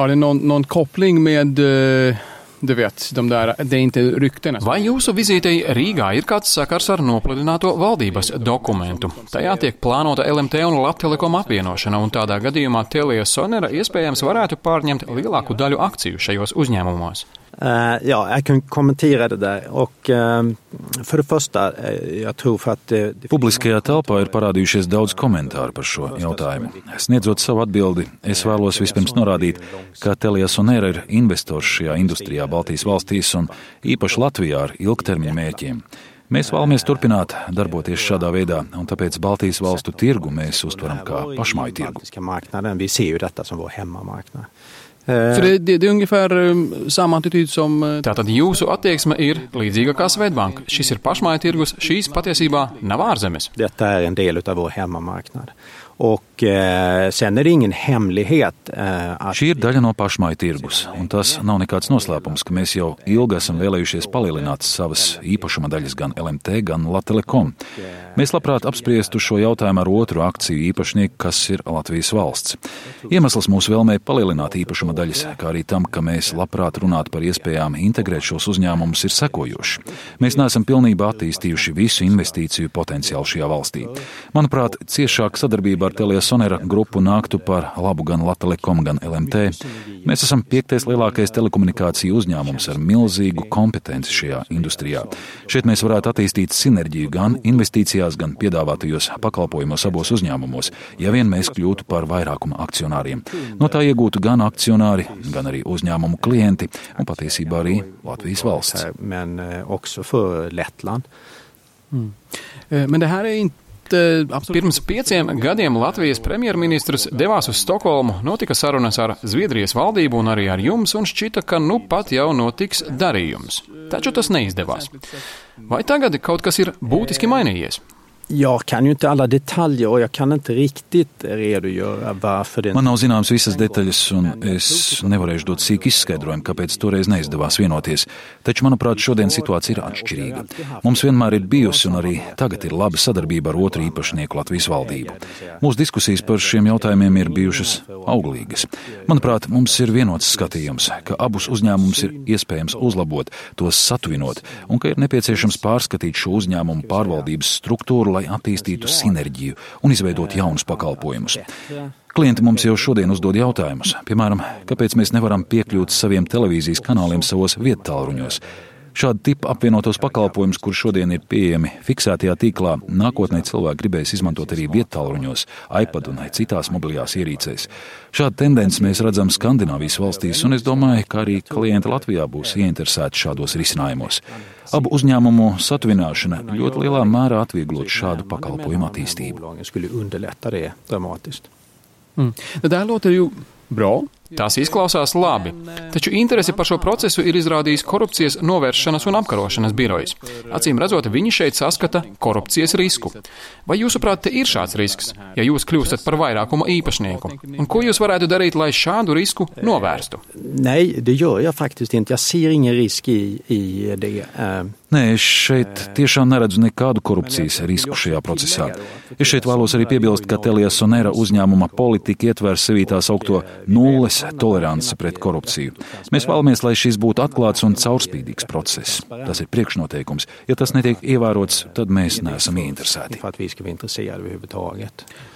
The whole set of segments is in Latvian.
Har det någon koppling med, du vet, det är inte ryktena? Vai jūsu vizītei Rīgā ir kāds sakars ar nopludināto valdības dokumentu? Tajā tiek plānota LMT un Latelekom apvienošana, un tādā gadījumā Telia Sonera iespējams varētu pārņemt lielāku daļu akciju šajos uzņēmumos. Ja, jag kan kommentera det där. Och för det första, jag tror för att Publiskajā telpā ir parādījušies daudz komentāru par šo jautājumu. Sniedzot savu atbildi, es vēlos vispirms norādīt, ka Telia Sonera ir investors šajā industrijā Baltijas valstīs un īpaši Latvijā ar ilgtermiņa mērķiem. Mēs vēlamies turpināt darboties šādā veidā, un tāpēc Baltijas valstu tirgu mēs uztveram kā pašmāju tirgu. Vi ser ju detta som vår hemmamarknad. För det är ungefär samma attityd som... Tātad jūsu attieksme ir līdzīga kā Swedbank. Šis ir pašmāju tirgus, šīs patiesībā nav ārzemes. Detta är en del av vår hemmamarknad. Och sen är det ingen hemlighet att... Šī ir daļa no pašmāju tirgus, un tas nav nekāds noslēpums, ka mēs jau ilgi esam vēlējušies palielināt savas īpašuma daļas gan LMT, gan Latelekom. Mēs labprāt apspriestu šo jautājumu ar otru akciju īpašnieku, kas ir Latvijas valsts. Iemesls mūsu vēlmei palielināt īpašuma daļas, kā arī tam, ka mēs labprāt runātu par iespējām integrēt šos uzņēmumus, ir sekojošs. Mēs neesam pilnībā attīstījuši visu investīciju potenciālu šajā valstī. Manuprāt, ciešāka sadarbība ar Telia Sonera grupu nāktu par labu gan Latelekom, gan LMT. Mēs esam 5. lielākais telekomunikāciju uzņēmums ar milzīgu kompetenci šajā industrijā. Šeit mēs varētu attīstīt sinerģiju gan investīcijās, gan piedāvātajos pakalpojumos abos uzņēmumos, ja vien mēs kļūtu par vairākuma akcionāriem. No tā iegūtu gan akcionāri, gan arī uzņēmumu klienti un patiesībā arī Latvijas valsts. Men också för Lettland. Men det här är inte... Pirms 5 gadiem Latvijas premjerministrs devās uz Stokholmu, notika sarunas ar Zviedrijas valdību un arī ar jums, un šķita, ka nu pat jau notiks darījums. Taču tas neizdevās. Vai tagad kaut kas ir būtiski mainījies? Jag kan ju inte alla detaljer och jag kan inte riktigt redogöra varför det... Man nav zināms visas detaļas, un es nevarēšu dot sīk izskaidrojumu, kāpēc toreiz neizdevās vienoties. Taču, manuprāt, šodien situācija ir atšķirīga. Mums vienmēr ir bijusi un arī tagad ir laba sadarbība ar otru īpašnieku Latvijas valdību. Mūsu diskusijas par šiem jautājumiem ir bijušas auglīgas. Manuprāt, mums ir vienots skatījums, ka abus uzņēmumus ir iespējams uzlabot, tos satuvinot, un ka ir nepieciešams pārskatīt šo uzņēmumu pārvaldības struktūru, lai attīstītu sinerģiju un izveidot jaunus pakalpojumus. Klienti mums jau šodien uzdod jautājumus, piemēram, kāpēc mēs nevaram piekļūt saviem televīzijas kanāliem savos viettālruņos. Šāda tipa apvienotos pakalpojumus, kur šodien ir pieejami fiksētajā tīklā, nākotnē cilvēki gribēs izmantot arī viettālruņos, iPad un citās mobilajās ierīcēs. Šādu tendenci mēs redzam Skandināvijas valstīs, un es domāju, ka arī klienti Latvijā būs ieinteresēti šādos risinājumos. Abu uzņēmumu satuvināšana ļoti lielā mērā atvieglot šādu pakalpojumu attīstību. Det där låter ju bra. Tās izklausās labi, taču interesi par šo procesu ir izrādījis korupcijas novēršanas un apkarošanas birojs. Acīm redzot, viņi šeit saskata korupcijas risku. Vai jūsuprāt, te ir šāds risks, ja jūs kļūstat par vairākuma īpašnieku? Un ko jūs varētu darīt, lai šādu risku novērstu? Nej, det gör jag faktiskt inte. Jag ser ingen risk i det. Nē, es šeit tiešām neredzu nekādu korupcijas risku šajā procesā. Es šeit vēlos arī piebilst, ka Telia Sonera uzņēmuma politika ietver sevī tā saukto nulles toleranci pret korupciju. Mēs vēlamies, lai šis būtu atklāts un caurspīdīgs process. Tas ir priekšnoteikums. Ja tas netiek ievērots, tad mēs neesam ieinteresēti.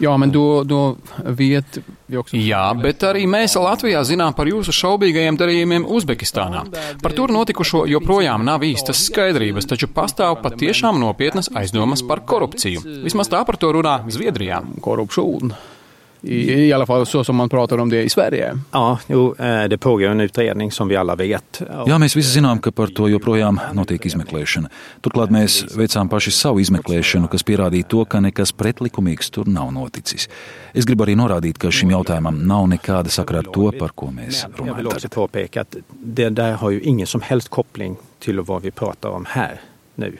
Ja, men då vet vi också... Jā, bet arī mēs Latvijā zinām par jūsu šaubīgajiem darījumiem Uzbekistānā. Par tur notikušo joprojām nav īstas skaidrības, taču pastāv patiešām nopietnas aizdomas par korupciju. Vismaz tā par to runā Zviedrijā. Korruption. I alla fall så som man pratar om det i Sverige. Ja, det pågår en utredning som vi alla vet. Jā, mēs visi zinām, ka par to joprojām notiek izmeklēšana. Turklāt mēs veicām paši savu izmeklēšanu, kas pierādīja to, ka nekas pretlikumīgs tur nav noticis. Es gribu arī norādīt, ka šim jautājumam nav nekāda sakara ar to, par ko mēs runājam. Jag vill också påpeka att det där har ju ingen som helst koppling till vad vi pratar om här nu.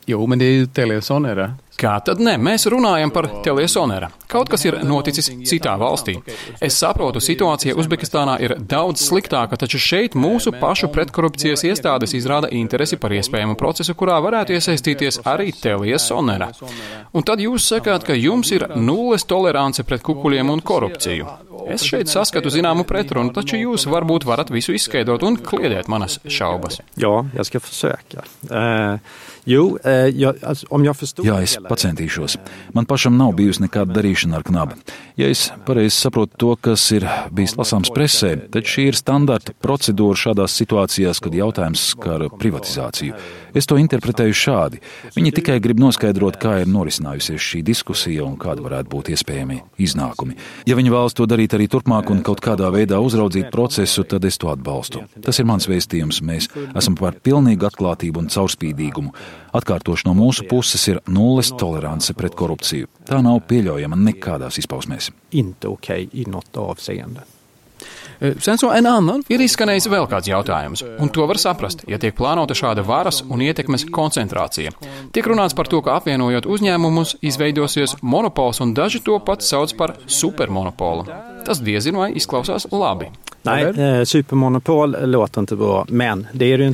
Jo, men det är ju Telia Sonera. Kā tad ne? Mēs runājam par Teliasonera. Kaut kas ir noticis citā valstī. Es saprotu, situācija Uzbekistānā ir daudz sliktāka, taču šeit mūsu pašu pretkorupcijas iestādes izrāda interesi par iespējamu procesu, kurā varētu iesaistīties arī Teliasonera. Un tad jūs sakāt, ka jums ir nulles tolerance pret kukuļiem un korupciju. Es šeit saskatu zināmu pretrunu, taču jūs varbūt varat visu izskaidrot un kliedēt manas šaubas. Jā, jag ska försöka. Jā, es pacentīšos. Man pašam nav bijusi nekāda darīšana ar knabi. Ja es pareizi saprotu to, kas ir bijis lasāms presē, tad šī ir standarta procedūra šādās situācijās, kad jautājums skar privatizāciju. Es to interpretēju šādi. Viņi tikai grib noskaidrot, kā ir norisinājusies šī diskusija un kāda varētu būt iespējami iznākumi. Ja viņi vēlas to darīt arī turpmāk un kaut kādā veidā uzraudzīt procesu, tad es to atbalstu. Tas ir mans vēstījums. Mēs esam par pilnīgu atklātību un caurspīdīgumu. Atkārtoši no mūsu puses ir nulles tolerance pret korupciju. Tā nav pieļaujama nekādās izpausmēs. Inte okej i något avseende. Ir izskanējis vēl kāds jautājums, un to var saprast, ja tiek plānota šāda varas un ietekmes koncentrācija. Tiek runāts par to, ka apvienojot uzņēmumus, izveidosies monopols, un daži to pat sauc par supermonopolu. Tas diezin vai izklausās labi. Nej, supermonopol låter inte bra, men det är ju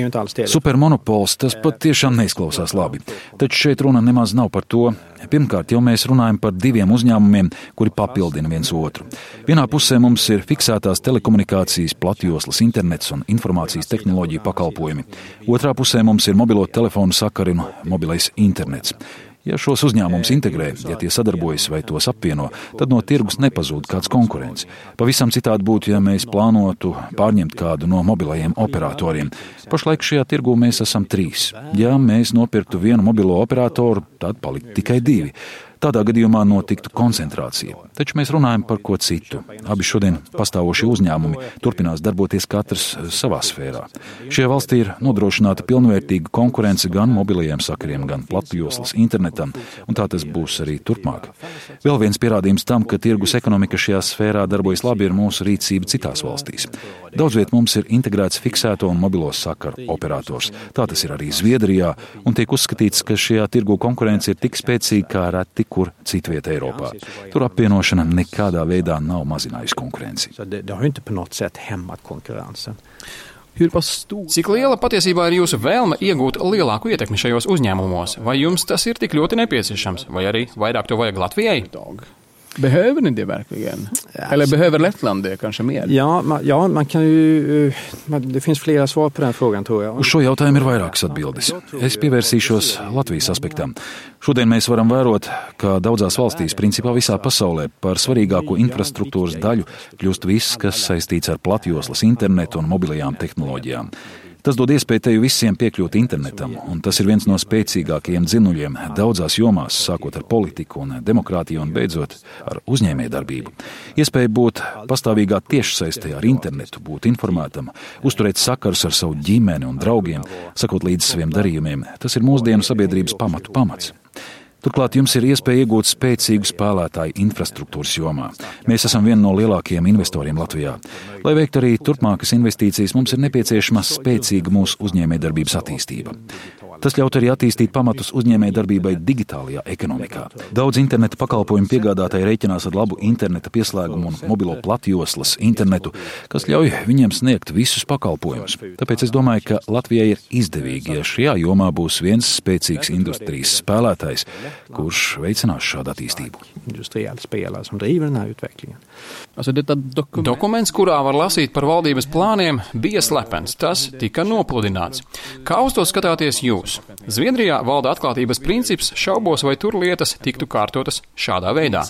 inte alls det. Supermonopols, tas pat tiešām neizklausās labi. Taču šeit runa nemaz nav par to. Pirmkārt, jau mēs runājam par diviem uzņēmumiem, kuri papildina viens otru. Vienā pusē mums ir fiksētās telekomunikācijas, platjoslas internets un informācijas tehnoloģiju pakalpojumi. Otrā pusē mums ir mobilo telefonu sakari un mobilais internets. Ja šos uzņēmumus integrē, ja tie sadarbojas vai tos apvieno, tad no tirgus nepazūd kāds konkurents. Pavisam citādi būtu, ja mēs plānotu pārņemt kādu no mobilajiem operatoriem. Pašlaik šajā tirgū mēs esam 3. Ja mēs nopirktu vienu mobilo operatoru, tad paliktu tikai 2. Tādā gadījumā notiktu koncentrācija. Taču mēs runājam par ko citu. Abi šodien pastāvošie uzņēmumi turpinās darboties katrs savā sfērā. Šajā valstī ir nodrošināta pilnvērtīga konkurence gan mobilajiem sakariem, gan platjoslas internetam, un tā tas būs arī turpmāk. Vēl viens pierādījums tam, ka tirgus ekonomika šajā sfērā darbojas labi, ir mūsu rīcība citās valstīs. Daudzviet mums ir integrēts fiksēto un mobilo sakaru operators. Tā tas ir arī Zviedrijā, un tiek uzskatīts, ka šajā tirgu konkurence ir tik spēcīga kā reti kur citvieta Eiropā. Tur apvienošana nekādā veidā nav mazinājusi konkurenci. Cik liela patiesībā ir jūsu vēlme iegūt lielāku ietekmi šajos uzņēmumos? Vai jums tas ir tik ļoti nepieciešams? Vai arī vairāk to vajag Latvijai? Behöver ni det verkligen? Eller behöver Lettland det kanske mer? Ja, man kan ju... Det finns flera svar på den frågan, tror jag. Uz šo jautājumu ir vairākas atbildes. Es pievērsīšos Latvijas aspektam. Šodien mēs varam vērot, ka daudzās valstīs, principā visā pasaulē, par svarīgāko infrastruktūras daļu kļūst viss, kas saistīts ar platjoslas internetu un mobilajām tehnoloģijām. Tas dod iespēju teju visiem piekļūt internetam, un tas ir viens no spēcīgākajiem dzinuļiem daudzās jomās, sākot ar politiku un demokrātiju un beidzot ar uzņēmējdarbību. Iespēja būt pastāvīgā tiešsaistē ar internetu, būt informētam, uzturēt sakarus ar savu ģimeni un draugiem, sakot līdz saviem darījumiem, tas ir mūsdienu sabiedrības pamats. Turklāt jums ir iespēja iegūt spēcīgu spēlētāju infrastruktūras jomā. Mēs esam viena no lielākajiem investoriem Latvijā. Lai veiktu arī turpmākas investīcijas, mums ir nepieciešama spēcīga mūsu uzņēmējdarbības attīstība. Tas ļaut arī attīstīt pamatus uzņēmējdarbībai digitālajā ekonomikā. Daudz interneta pakalpojumu piegādātāji rēķinās ar labu interneta pieslēgumu un mobilo platjoslas internetu, kas ļauj viņiem sniegt visus pakalpojumus. Tāpēc es domāju, ka Latvijai ir izdevīgi, ja šajā jomā būs viens spēcīgs industrijas spēlētājs, kurš veicinās šādu attīstību. Dokuments, kurā var lasīt par valdības plāniem, bija slepens. Tas tika nopludināts. Kā uz to skatāties jūs? Zviedrijā valda atklātības princips, šaubos, vai tur lietas tiktu kārtotas šādā veidā.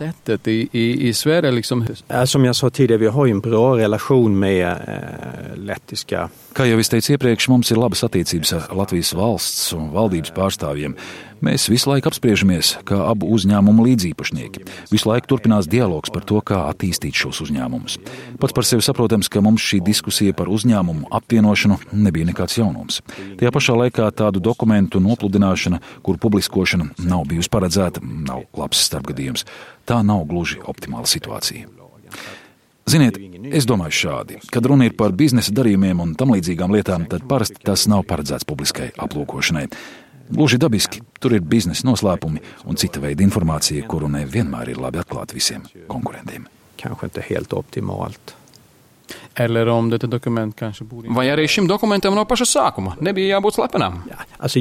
Som jag sa tidigare, vi har ju en bra relation med lettiska. Kā jau es teicu iepriekš, mums ir labas attiecības ar Latvijas valsts un valdības pārstāvjiem. Mēs visu laiku apspriežamies kā abu uzņēmumu līdzīpašnieki. Visu laiku turpinās dialogs par to, kā attīstīt šos uzņēmumus. Pats par sevi saprotams, ka mums šī diskusija par uzņēmumu apvienošanu nebija nekāds jaunums. Tajā pašā laikā tādu dokumentu nopludināšana, kur publiskošana nav bijusi paredzēta, nav labs starpgadījums. Tā nav gluži optimāla situācija. Ziniet, es domāju šādi. Kad runa ir par biznesa darījumiem un tam līdzīgām lietām, tad parasti tas nav paredzēts publiskai aplūkošanai. Gluži dabiski, tur ir biznesa noslēpumi un cita veida informācija, kuru nevienmēr ir labi atklāt visiem konkurentiem. Kanske inte helt optimalt. Eller om detta dokument kanske borde... Vai arī šim dokumentam no paša sākuma nebija jābūt slepenam? Ja, alltså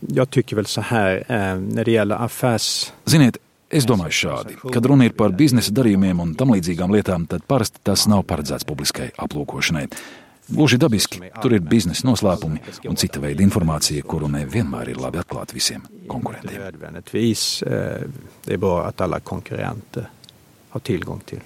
jag tycker väl så här, när det gäller affärs... Ziniet, es domāju šādi. Kad runa ir par biznesa darījumiem un tam līdzīgām lietām, tad parasti tas nav paredzēts publiskai aplūkošanai. Gluži dabiski, tur ir biznesa noslēpumi un cita veida informācija, kuru nevienmēr ir labi atklāt visiem konkurentiem. Det är bra att alla konkurrenter har tillgång till.